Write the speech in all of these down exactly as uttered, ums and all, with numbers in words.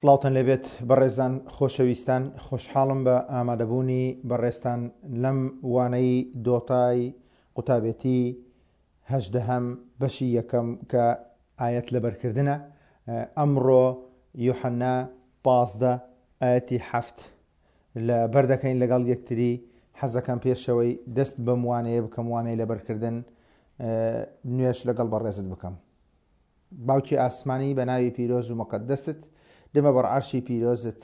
سڵاوتان لێبێت بەڕێزان خۆشەویستان، خۆشحاڵم بە ئامادەبوونی بەڕێزتان لەم وانەی دۆتای قوتابێتی هەژدەهەم بەشی یەکەم کە ئایەت لەبەرکردنە. ئەمڕۆ یوحەنا پازدە ئایەتی حەفت لەبەر دەکەین لەگەڵ یەکتری. حەزەکەم پێشەوەی دەست بەم وانەیە بکەم، وانەی لەبەرکردن، نوێژ لەگەڵ بەڕێزت بکەم. باوکی ئاسمانی بە ناوی پیرۆز و مقدست دەمە بەر عەرشی پیرۆزت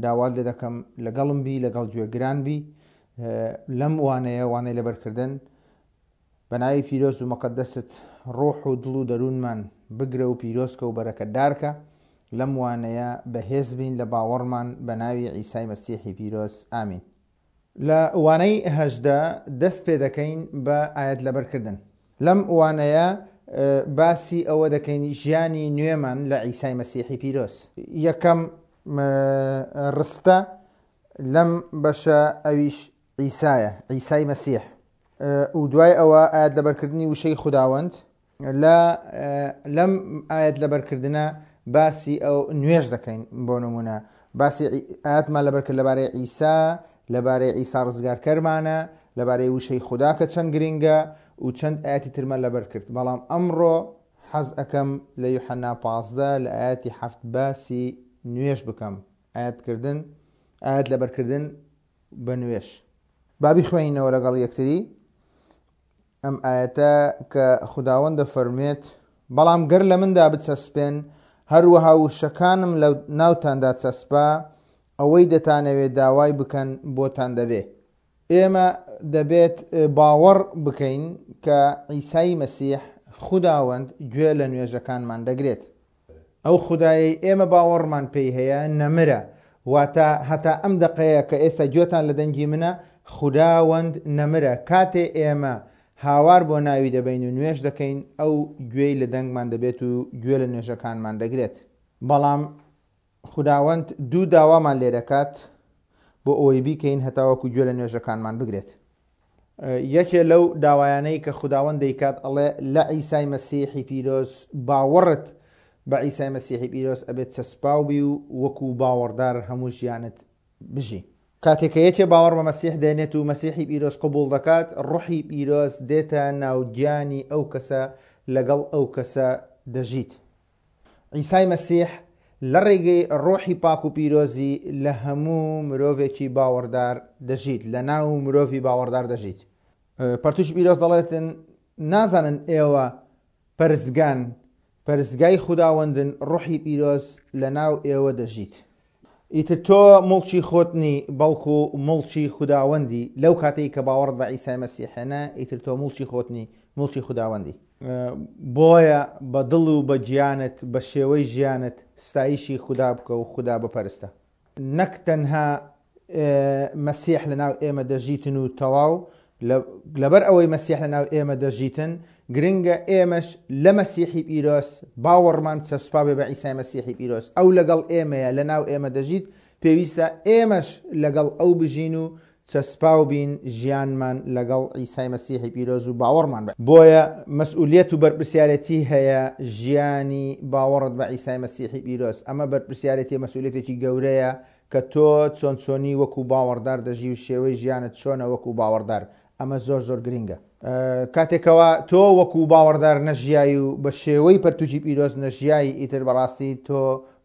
داوات لێ دەکەم لەگەڵم بی، لەگەڵ گوێگران بی لەم وانەیە، وانەی لەبەرکردن. بە ناوی پیرۆز و مقدست ڕۆح و دڵ و دەروونمان بگرە و پیرۆزکە و بەرەکەتدارکە. لەم وانەیە بەهێز بین لە باوەڕمان بە ناوی عیسای مەسیحی پیرۆز، ئامین. لە وانەی هەژدە دەست پێ دەکەین بە ئایەت لەبەرکردن. لەم وانەیە باسی ئەوە دەکەین ژیانی نوێمان لە عیسای مەسیحی پیرۆز. یەکەم ڕستە لەم بەشە ئەویش عیسایە، عیسای مەسیح. و دوای ئەوە ئایەت لەبەرکردنی وشەی خوداوەند. لە لەم ئایەت لەبەرکردنە باسی ئەو نوێژ دەکەین. بۆ نمونە باسی ئایەتمان لەبەرکرد لەبارەی عیسا، لەبارەی عیسا ڕزگارکەرمانە، لەبارەی وشەی خودا کە چەند گرنگە و چەند ئاەتی ترمان لەبەر کرد. بەڵام ئەمڕۆ حەز ئەەکەم لە یوحەنا پازدە لە ئاەتی حەفت باسی نوێژ بکەم. ئاەتکردن، ئاەت لەبەرکردن بە نوێژ. بابی خوێنینەوە لەگەڵ یەکتری ئەم ئاەتە کە خوداوەند دەفەرموێت: بەڵام گەر لە مندا بچەسپێن، هەروەها وشەکانم لە ناوتاندا چەسپا، ئەوەی دەتانەوێت داوای بکەن بۆتان دەبێ. ئێمە دەبێت باوەڕ بکەین کە عیسای مەسیح خوداوەند گوێ لە نوێژەکانمان دەگرێت. ئەو خودایەی ئێمە باوەڕمان پێی هەیە نەمرە، واتە هەتا ئەم دەقەیە کە ئێستا گوێتان لە دەنگی منە، خوداوەند نەمرە. کاتێ ئێمە هاوار بۆ ناوی دەبین و نوێژ دەکەین، ئەو گوێی لە دەنگمان دەبێت و گوێ لە نوێژەکانمان دەگرێت. بەڵام خوداوەند دوو داوامان لێ دەکات بۆ ئەوەی بیکەین هەتاوەکو گوێ لە نوێژەکانمان بگرێت. یەکێ لەو داوایانەی کە خوداوەند دەیکات ئەڵێ لە عیسای مەسیحی پیرۆز باوەڕت بە عیسای مەسیحی پیرۆز ئەبێت چەسپاو بی و وەکو باوەڕدار هەموو ژیانت بژی. کاتێک کە یەکێ باوەڕ بە مەسیح دێنێت و مەسیحی پیرۆز قبوڵ دەکات، ڕۆحی پیرۆز دێتە ناوگیانی ئەو کەسە، لەگەڵ ئەو کەسە دەژیت. عیسای مەسیح لە ڕێگەی ڕۆحی پاک و پیرۆزی لە هەموو مرۆڤێکی باوەڕدار دەژیت، لە ناو مرۆڤی باوەڕدار دەژیت. پەرتوکی پیرۆز دەڵێتن نازانن ئێوە پەرستگان، پەرستگای خوداوەندن، ڕۆحی پیرۆز لە ناو ئێوە دەژیت. ئیتر تۆ مڵکی خۆت نی، بەڵکو مڵکی خوداوەندی. لەو کاتەی کە باوەڕت بە عیسای مەسیحێنە، ئیتر تۆ مڵکی خۆت نی، مڵکی خوداوەندی. بۆیە بە دڵ و بە گیانت، بە شێوەی ژیانت ستایشی خودا بکە و خودا بپەرستە. نەک تەنها مەسیح لەناو ئێمە دەژیتن و تەواو، لەبەر ئەوەی مەسیح لەناو ئێمە دەژیتن، گرنگە ئێمەش لە مەسیحی پیرۆز باوەڕمان چەسپا بێ بە عیسای مەسیحی پیرۆز. ئەو لەگەڵ ئێمەیە، لەناو ئێمە دەژیت، پێویستە ئێمەش لەگەڵ ئەو بژین و چەسپاو بین ژیانمان لەگەڵ عیسای مەسیحی پیرۆز و باوەڕمان بە. بۆیە مەسئولیەت و بەرپرسیارەتی هەیە ژیانی باوەڕت بە عیسای مەسیحی پیرۆز. ئەمە بەرپرسیارەتی مەسئولیەتێکی گەورەیە کە تۆ چۆن چۆنی وەکو باوەڕدار دەژی و شێوەی ژیانت چۆنە وەکو باوەڕدار. ئەمە زۆر زۆر گرنگە. کاتێکەوە تۆ وەکو باوەڕدار نەژیای و بە شێوەی پەرتوکی پیرۆز نەژیای، ئیتر بەڕاستی تۆ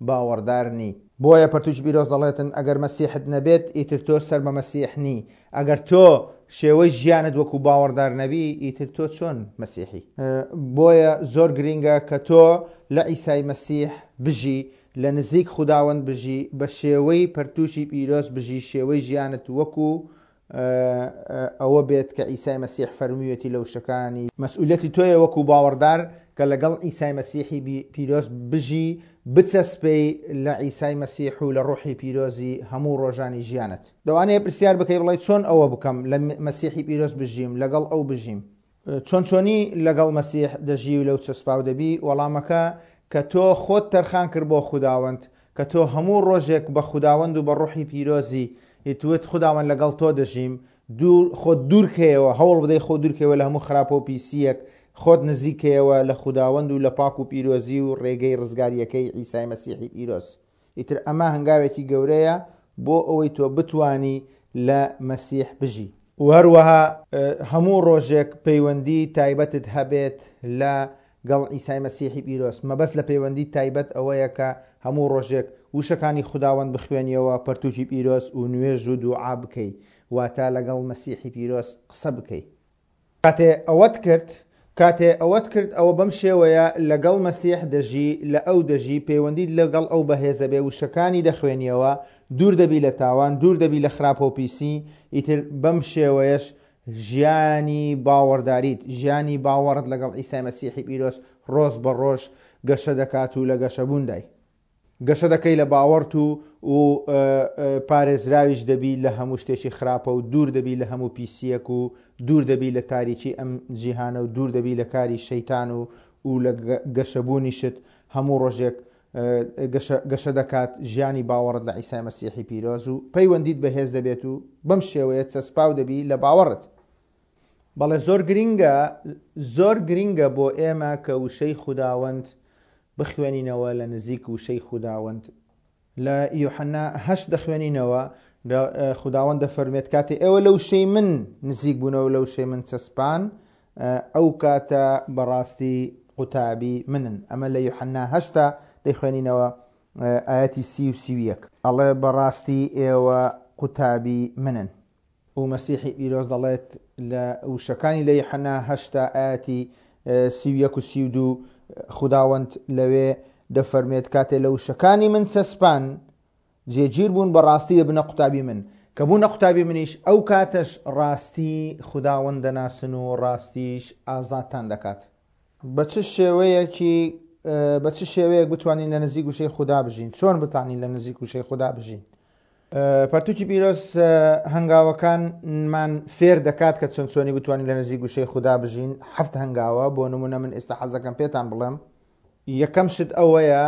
باوەڕدار نی. بۆیە پەرتوکی پیرۆز دەڵێتن ئەگەر مەسیحت نەبێت، ئیتر تۆ سەر بە مەسیح نی. ئەگەر تۆ شێوەی ژیانت وەکو باوەڕدار نەبی، ئیتر تۆ چۆن مەسیحی؟ بۆیە زۆر گرنگە کە تۆ لە عیسای مەسیح بژی، لە نزیک خوداوەند بژی، بە شێوەی پەرتوکی پیرۆز بژی، شێوەی ژیانت وەکو ئەوە بێت کە عیسای مەسیح فەرموویەتی لە وشەکانی. مەسئولیەتی تۆیە وەکو باوەڕدار کە لەگەڵ عیسای مەسیحی پیرۆز بژی، بچەسپەی لە عیسای مەسیح و لە ڕۆحی پیرۆزی هەموو ڕۆژانی ژیانت. دەوانەیە پرسیار بکەی بڵێ چۆن ئەوە بکەم لە مەسیحی پیرۆز بژیم، لەگەڵ ئەو بژیم؟ چۆن چۆنی لەگەڵ مەسیح دەژی و لەو چەسپاو دەبی؟ وەڵامەکە کە تۆ خۆت تەرخان کرد بۆ خوداوەند، کە تۆ هەموو ڕۆژێک بە خوداوەند و بە ڕۆحی پیرۆزی ئیتوت خوداوەند لەگەڵ تۆ دەژیم، خۆت دوورکەیەوە، هەوڵ بدەی خۆ دوورکەوە لە هەموو خراپە و پیسیەک، خۆت نزیکەیەوە لە خوداوەند و لە پاک و پیرۆزی و ڕێگەی ڕزگاریەکەی عیسای مەسیحی پیرۆز. ئیتر ئەمە هەنگاوێکی گەورەیە بۆ ئەوەی تۆ بتانی لە مەسیح بژی. و هەروەها هەموو ڕۆژێک پەیوەندی تایبەتت هەبێت لە گەڵ عیسای مەسیحی پیرۆز. مەبەست لە پەیوەندی تایبەت ئەوەیە کە هەموو ڕۆژێک وشەکانی خوداوەند بخوێنیەوە، پەرتوکی پیرۆز و نوێژ و دوعا بکەی، واتە لەگەڵ مەسیحی پیرۆز قسە بکەی. کاتێ ئەوەت کرد، کاتێ ئەوەت کرد ئەوە بەم شێوەیە لەگەڵ مەسیح دەژی، لە ئەو دەژی، پەیوەندیت لەگەڵ ئەو بەهێز دەبێ، وشەکانی دەخوێنیەوە، دوور دەبی لە تاوان، دوور دەبی لە خراپە و پیسی. ئیتر بەم شێوەیەش ژیانی باوەڕداریت، ژیانی باوەڕت لەگەڵ عیسای مەسیحی پیرۆز ڕۆژ بە ڕۆژ گەشە دەکات و لە گەشەبووندای گەشە دەکەی لە باوەڕت و و پارێزراویش دەبی لە هەموو شتێکی خراپە و دوور دەبی لە هەموو پیسیەک و دوور دەبی لە تاریکی ئەم جیهانە و دوور دەبی لە کاری شەیتان و و لە گەشەبوونیشت هەموو ڕۆژێک گەشە دەکات ژیانی باوەڕت لە عیسای مەسیحی پیرۆز و پەیوەندیت بەهێز دەبێت و بەم شێوەیە چەسپاو دەبی لە باوەڕت. بەڵێ زۆر گرینگە، زۆر گرینگە بۆ ئێمە کە وشەی خوداوەند بخوێنینەوە لە نزیک وشەی خوداوەند. لە یوحەنا هەشت دەخوێنینەوە خوداوەند دەفەرمێت کاتێ ئێوە لە وشەی من نزیک بوونەوە، لە وشەی من چەسپان، ئەو کاتە بەڕاستی قوتابی منن. ئەمە لە یوحەنا هەشتا دەیخوێنینەوە ئاەتی سی و سی و یەک، ئەڵێ بەڕاستی ئێوە قوتابی منن. و مەسیحی پیرۆز دەڵێت لە وشەکانی لە یوحەنا هەشتا ئاەتی سی و یەک و سی و دوو خوداوەند لەوێ دەفەرمێت کاتێ لە وشەکانی من چەسپان جێگیر بوون بەڕاستی دەبنە قوتابی من. کە بوونە قوتابی منیش ئەو کاتەش ڕاستی خوداوەند دەناسن و ڕاستیش ئازادتان دەکات. بە چ شێوەیەکی بە چ شێوەیەک بتوانین لە نزیک وشەی خودا بژین؟ چۆن بتوانین لە نزیک وشەی خودا بژین؟ پەرتوکی پیرۆز هەنگاوەکانمان فێر دەکات کە چۆن چۆنی بتوانین لە نزیک وشەی خودا بژین. هەفت هەنگاوە. بۆ نمونە من ئێستا حەزەکەم پێتان بڵێم. یەکەم شت ئەوەیە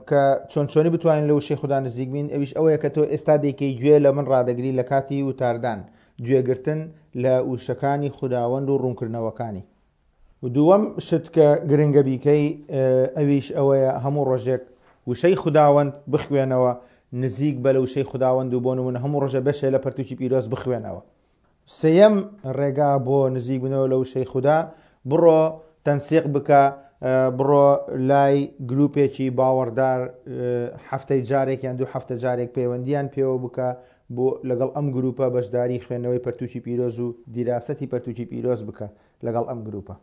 کە چۆن چۆنی بتوانین لە وشەی خودا نزیک بین، ئەویش ئەوەیە کە تۆ ئێستا دەیکەی گوێ لە من ڕادەگری لە کاتی وتاردان، گوێگرتن لە وشەکانی خوداوەند و ڕوونکردنەوەکانی. و دووەم شت کە گرنگە بیکەی ئەویش ئەوەیە هەموو ڕۆژێک وشەی خوداوەند بخوێنەوە، نزیک بە لە وشەی خوداوەند و بۆ نمونە هەموو ڕۆژە بەشێ لە پەرتوکی پیرۆز بخوێنەوە. سێیەم ڕێگا بۆ نزیک بوونەوە لە وشەی خودا، بڕۆ تەنسیق بکە، بڕۆ لای گروپێکی باوەڕدار هەفتەی جارێک یان دوو هەفتە جارێک پەیوەندیان پێوە بکە بۆ لەگەڵ ئەم گروپە بەشداری خوێندنەوەی پەرتوکی پیرۆز و دیراسەتی پەرتوکی پیرۆز بکە لەگەڵ ئەم گروپە.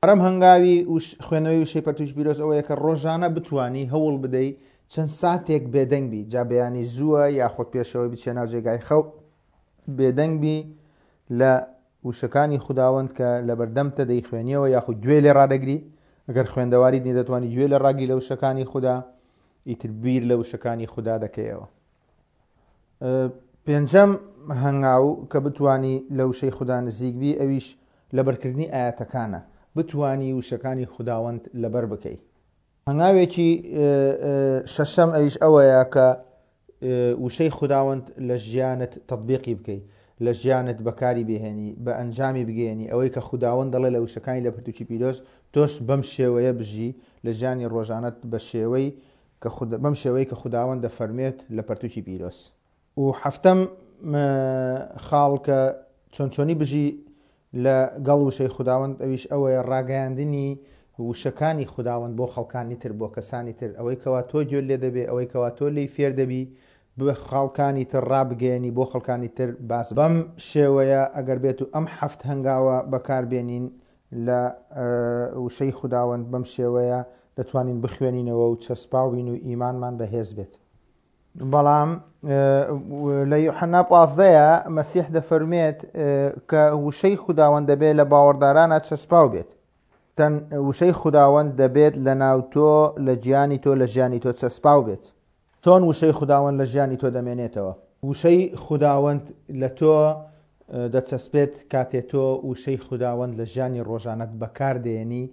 ئەرم هەنگاوی خوێندنەوەی وشەی پەرتوکی پیرۆز ئەوەیە کە ڕۆژانە بتانی هەوڵ بدەی چەند ساتێک بێدەنگ بی، جا بەیانی زووە یاخود پێشەوەی بچێ ناو جێگای خەو، بێدەنگ بی لە وشەکانی خوداوەند کە لە بەردەمتە دەیخوێنیەوە یاخود گوێ لێ ڕادەگری. ئەگەر خوێندەواریت نیە دەتوانی گوێ لێ ڕاگری لە وشەکانی خودا، ئیتر بیر لە وشەکانی خودا دەکەیەوە. پێنجەم هەنگاو کە بتانی لە وشەی خودا نزیک بی ئەویش لەبەرکردنی ئاەتەکانە، بتانی وشەکانی خوداوەند لەبەر بکەی. هەنگاوێکی شەشەم ئەویش ئەوەیە کە وشەی خوداوەند لە ژیانت تەطبیقی بکەی، لە ژیانت بەکاری بهێنی، بە ئەنجامی بگەێنی. ئەوەی کە خوداوەند دەڵێ لە وشەکانی لە پەرتوکی پیرۆز تۆش بەم شێوەیە بژی لە ژیانی ڕۆژانەت بە شێوەی کە بەم شێوەی کە خوداوەند دەفەرمێت لە پەرتوکی پیرۆز. و هەفتەم خاڵ کە چۆن چۆنی بژی لەگەڵ وشەی خوداوەند ئەویش ئەوەیە ڕاگەیاندنی وشەکانی خوداوەند بۆ خەڵکانی تر، بۆ کەسانی تر. ئەوەی کەوا تۆ گوێت لێ دەبێ، ئەوەی کەوا تۆ لێی فێر دەبی بە خەڵکانی تر ڕابگەیەنی، بۆ خەڵکانی تر باس. بەم شێوەیە ئەگەر بێت و ئەم هەفت هەنگاوە بەکاربێنین لە وشەی خوداوەند، بەم شێوەیە دەتوانین بخوێنینەوە و چەسپاوین و ئیمانمان بەهێز بێت. بەڵام لە یوحەنا پازدەیە مەسیح دەفەرمێت کە وشەی خوداوەند دەبێت لە باوەڕدارانە چەسپاو بێت. تەن وشەی خوداوەند دەبێت لە ناو تۆ، لە گیانی تۆ، لە ژیانی تۆ چەسپاو بێت. چۆن وشەی خوداوەند لە ژیانی تۆ دەمێنێتەوە؟ وشەی خوداوەند لە تۆ دەچەسپێت کاتێ تۆ وشەی خوداوەند لە ژیانی ڕۆژانەت بەکاردێنی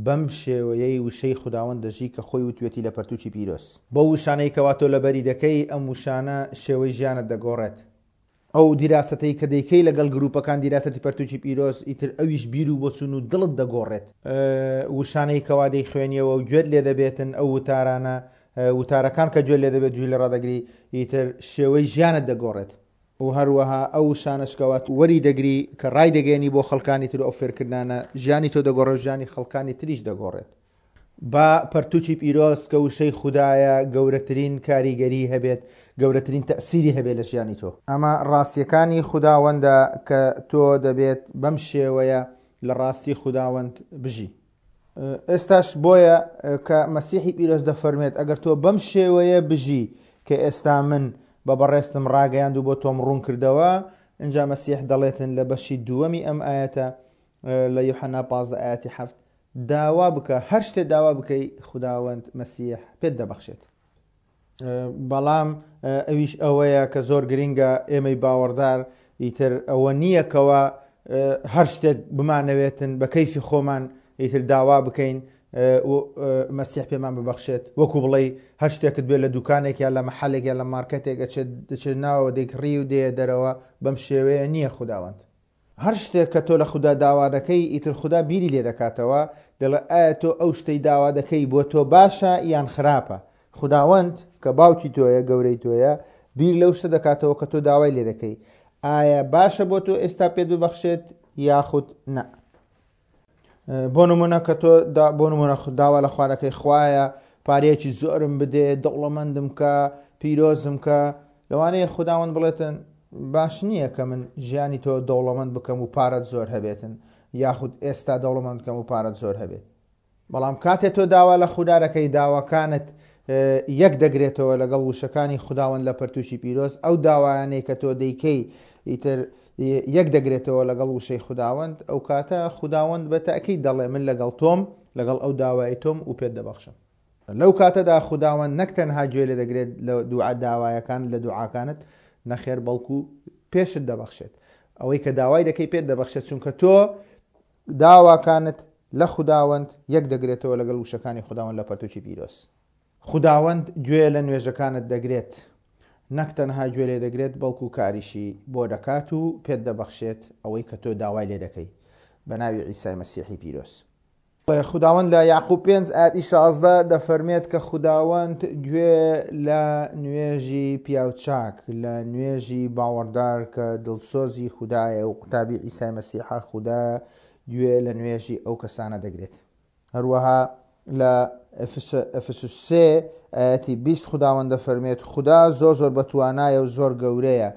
بەم شێوەیەی وشەی خوداوەند دەژی کە خۆی وتوێتی لە پەرتوکی پیرۆز. بەو وشانەی کەوا تۆ لەبەری دەکەی ئەم وشانە شێوەی ژیانت دەگۆڕێت. ئەو دیراسەتەی کە دەیکەی لەگەڵ گروپەکان دیراسەتی پەرتوکی پیرۆز، ئیتر ئەویش بیر و بۆچون و دڵت دەگۆڕێت. وشانەی کەوا دەیخوێنیەوە و گوێت لێ دەبێتن ئەو وتارانە وتارەکان کە گوێ لێ دەبێت گوێ لێ ڕادەگری ئیتر شێوەی ژیانت دەگۆڕێت و هەروەها ئەو وشانەش کەوا وەری دەگری کە ڕای دەگەیەنی بۆ خەڵکانی تر و ئەو فێرکردنانە ژیانی تۆ دەگۆڕێت و ژیانی خەڵکانی تریش دەگۆڕێت. با پەرتوکی پیرۆز کە وشەی خودایە گەورەترین کاریگەری هەبێت، گەورەترین تەئسیری هەبێت لە ژیانی تۆ. ئەمە ڕاستیەکانی خوداوەندە کە تۆ دەبێت بەم شێوەیە لە ڕاستی خوداوەند بژی. ئێستاش بۆیە کە مەسیحی پیرۆز دەفەرمێت ئەگەر تۆ بەم شێوەیە بژی کە ئێستا من بە بەڕێزتم ڕاگەیاند و بۆ تۆم ڕوون کردەوە، ئینجا مەسیح دەڵێتن لە بەشی دووەمی ئەم ئایەتە لە یوحەنا پازدە ئایەتی حەفت داوا بکە، هەر شتێ داوا بکەی خوداوەند مەسیح پێت دەبەخشێت. بەڵام ئەویش ئەوەیە کە زۆر گرنگە ئێمەی باوەڕدار ئیتر ئەوە نییە کەوا هەر شتێک بمانەوێتن بە کەیفی خۆمان ئیتر داوا بکەین و مەسیح پێمان ببەخشێت، وەکو بڵێی هەر شتێکت بێت لە دوکانێک یا لە مەحەلێک یا لە مارکێتێک ئەچێت دەچێت ناوەوە دەیکڕی و دێیە دەرەوە، بەم شێوەیە نییە خوداوەند. هەر شتێک کە تۆ لە خودا داوا دەکەی ئیتر خودا بیری لێ دەکاتەوە، دەڵێ ئایا تۆ ئەو شتەی داوا دەکەی بۆ تۆ باشە یان خراپە؟ خوداوەند کە باوکی تۆیە، گەورەی تۆیە، بیر لەو شتە دەکاتەوە کە تۆ داوای لێ دەکەی، ئایا باشە بۆ تۆ ئێستا پێت ببەخشێت یاخود نا؟ بۆ نمونە کە تۆ بۆ نمونە داوا لە خوا دەکەی خوایە پارەیەکی زۆرم بدێ، دەوڵەمەندم کە، پیرۆزم کە، لەوانەیە خوداوەند بڵێتن باش نییە کە من ژیانی تۆ دەوڵەمەند بکەم و پارەت زۆر هەبێتن، یاخود ئێستا دەوڵەمەند بکەم و پارەت زۆر هەبێت. بەڵام کاتێ تۆ داوا لە خودا دەکەی، داواکانت یەک دەگرێتەوە لەگەڵ وشەکانی خوداوەند لە پەرتوکی پیرۆز، ئەو داوایانەی کە تۆ دەیکەی ئیتر یەک دەگرێتەوە لەگەڵ وشەی خوداوەند، ئەو کاتە خوداوەند بە تەئکید دەڵێ من لەگەڵ تۆم، لەگەڵ ئەو داوای تۆم و پێت دەبەخشم. لەو کاتەدا خوداوەند نەک تەنها گوێ لێ دەگرێت لە دوعا داوایەکان، لە دوعاکانت، نەخێر بەڵکو پێشت دەبەخشێت. ئەوەی کە داوای دەکەی پێت دەبەخشێت، چونکە تۆ داواکانت لە خوداوەند یەک دەگرێتەوە لەگەڵ وشەکانی خوداوەند لە پەرتوکی پیرۆز. خوداوەند گوێ لە نوێژەکانت دەگرێت، نەک تەنها گوێ لێ دەگرێت بەڵکو کاریشی بۆ دەکات و پێت دەبەخشێت ئەوەی کە تۆ داوای لێ دەکەی بە ناوی عیسای مەسیحی پیرۆز. خوداوەند لە یاقوب پێنج ئایەتی شازدە دەفەرمێت کە خوداوەند گوێ لە نوێژی پیاوچاک، لە نوێژی باوەڕدار کە دڵسۆزی خودایە و قوتابی عیسای مەسیحە، خودا گوێ لە نوێژی ئەو کەسانە دەگرێت. هەروەها لە ئەفسوس سێ ئایەتی بیست خوداوەند دەفەرمێت خودا زۆر زۆر بەتوانایە و زۆر گەورەیە،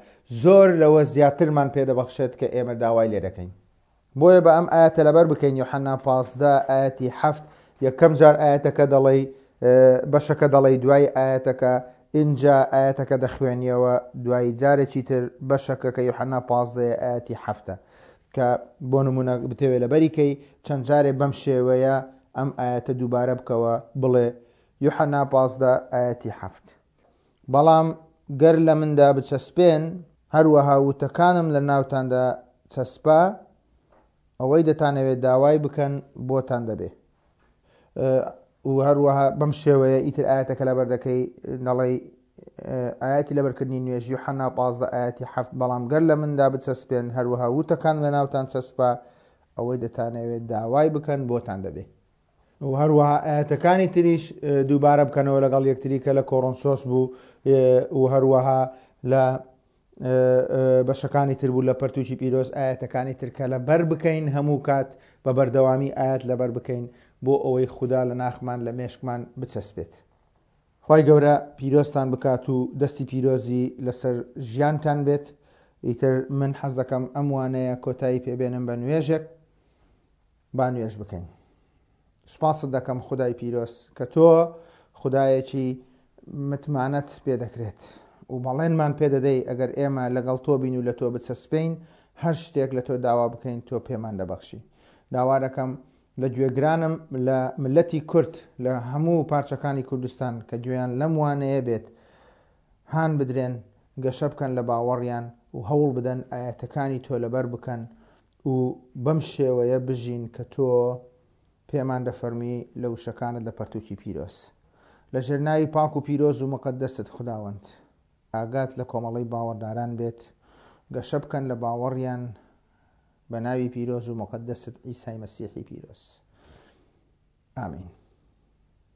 زۆر لەوە زیاترمان پێدەبەخشێت کە ئێمە داوای لێ دەکەین. بۆیە بە ئەم ئایەتە لەبەر بکەین، یۆحەنا پازدە ئایەتی حەفت، یەکەم جار ئایەتەکە دەڵێی، بەشەکە دەڵێی دوای ئایەتەکە، ئینجا ئایەتەکە دەخوێنیەوە دوای جارێکی تر بەشەکە کە یۆحەنا پازدەیە ئایەتی حەفتە، کە بۆ نمونە بتەوێت لەبەری کەی چەند جارێ بەم شێوەیە ئەم ئایەتە دووبارە بکەوە، بڵێ یۆحەنا پازدە ئایەتی حەفت، بەڵام گەر لە مندا بچەسپێن، هەروەها وتەکانم لە ناوتاندا چەسپا، ئەوەی دەتانەوێت داوای بکەن بۆتان دەبێ. و هەروەها بەم شێوەیە ئیتر ئایەتەکە لەبەر دەکەی، دەڵێی ئایەتی لەبەرکردنی نوێژ یوحەنا پازدە ئایەتی حەفت، بەڵام گەر لە مندا بچەسپێن، هەروەها وتەکان لە ناوتان چەسپا، ئەوەی دەتانەوێت داوای بکەن بۆتان دەبێ. و هەروەها ئایەتەکانی تریش دووبارە بکەنەوە لەگەڵ یەکتری کە لە کۆرۆنسۆس بوو، و هەروەها لە بەشەکانی تر بوو لە پەرتوکی پیرۆز، ئایەتەکانی تر کە لەبەر بکەین هەموو کات بە بەردەوامی ئایەت لەبەر بکەین بۆ ئەوەی خودا لە ناخمان لە مێشکمان بچەسپێت. خوای گەورە پیرۆزتان بکات و دەستی پیرۆزی لەسەر ژیانتان بێت. ئیتر من حەز دەکەم ئەم وانەیە کۆتایی پێبێنم بە نوێژێک. با نوێژ بکەین. سوپاست دەکەم خودای پیرۆز کە تۆ خودایەکی متمانەت پێدەکرێت و بەڵێنمان پێدەدەی ئەگەر ئێمە لەگەڵ تۆ بین و لە تۆ بچەسپین، هەر شتێک لە تۆ داوا بکەین تۆ پێمان دەبەخشی. داوا دەکەم لە گوێگرانم لە ملەتی کورد لە هەموو پارچەکانی کوردستان کە گوێیان لەم وانەیە بێت هان بدرێن، گەشە بکەن لە باوەڕیان و هەوڵ بدەن ئایەتەکانی تۆ لەبەر بکەن و بەم شێوەیە بژین کە تۆ پێمان دەفەرمی لە وشەکانت لە پەرتوکی پیرۆز. لە ژێرناوی پاک و پیرۆز و مقەدەست خوداوەند ئاگات لە کۆمەڵەی باوەڕداران بێت، گەشە بکەن لە باوەڕیان بە ناوی پیرۆز و مقەدەست عیسای مەسیحی پیرۆز. ئامین.